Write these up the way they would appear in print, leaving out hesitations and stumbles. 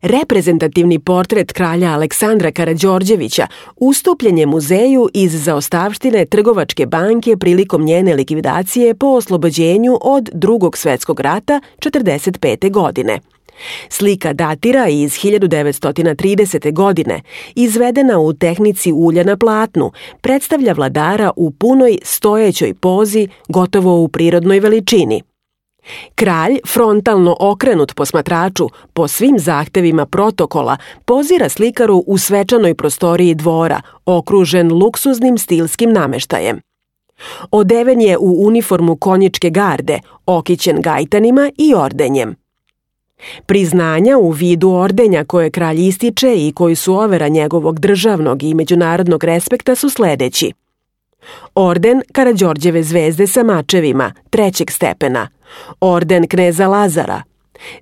Reprezentativni portret kralja Aleksandra Karađorđevića ustupljen je muzeju iz zaostavštine Trgovačke banke prilikom njene likvidacije po oslobođenju od Drugog svetskog rata 1945. godine. Slika datira iz 1930. godine, izvedena u tehnici ulja na platnu, predstavlja vladara u punoj stojećoj pozi, gotovo u prirodnoj veličini. Kralj, frontalno okrenut posmatraču, po svim zahtevima protokola, pozira slikaru u svečanoj prostoriji dvora, okružen luksuznim stilskim nameštajem. Odeven je u uniformu konjičke garde, okićen gajtanima i ordenjem. Priznanja u vidu ordenja koje kralj ističe i koji su overa njegovog državnog i međunarodnog respekta su sledeći. Orden Karađorđeve zvezde sa mačevima, 3. stepena. Orden kneza Lazara.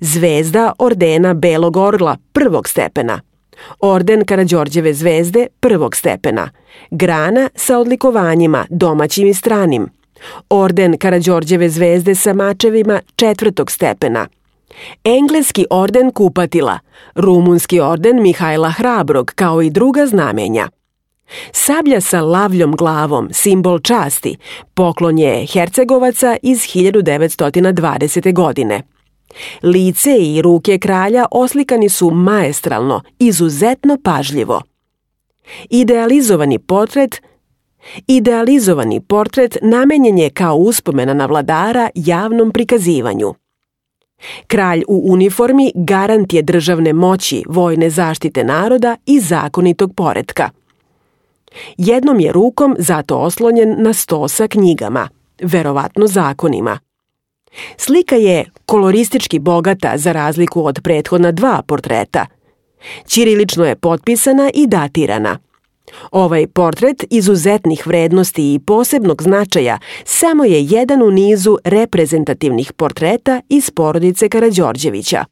Zvezda ordena Belog orla, 1. stepena. Orden Karađorđeve zvezde, 1. stepena. Grana sa odlikovanjima, domaćim i stranim. Orden Karađorđeve zvezde sa mačevima, 4. stepena. Engleski orden kupatila, rumunski orden Mihajla Hrabrog, kao i druga znamenja. Sablja sa lavljom glavom, simbol časti, poklon je Hercegovaca iz 1920. godine. Lice i ruke kralja oslikani su maestralno, izuzetno pažljivo. Idealizovani portret namenjen je kao uspomena na vladara javnom prikazivanju. Kralj u uniformi garant je državne moći, vojne zaštite naroda i zakonitog poretka. Jednom je rukom zato oslonjen na sto sa knjigama, verovatno zakonima. Slika je koloristički bogata za razliku od prethodna 2 portreta. Ćirilično je potpisana i datirana. Ovaj portret izuzetnih vrednosti i posebnog značaja samo je jedan u nizu reprezentativnih portreta iz porodice Karađorđevića.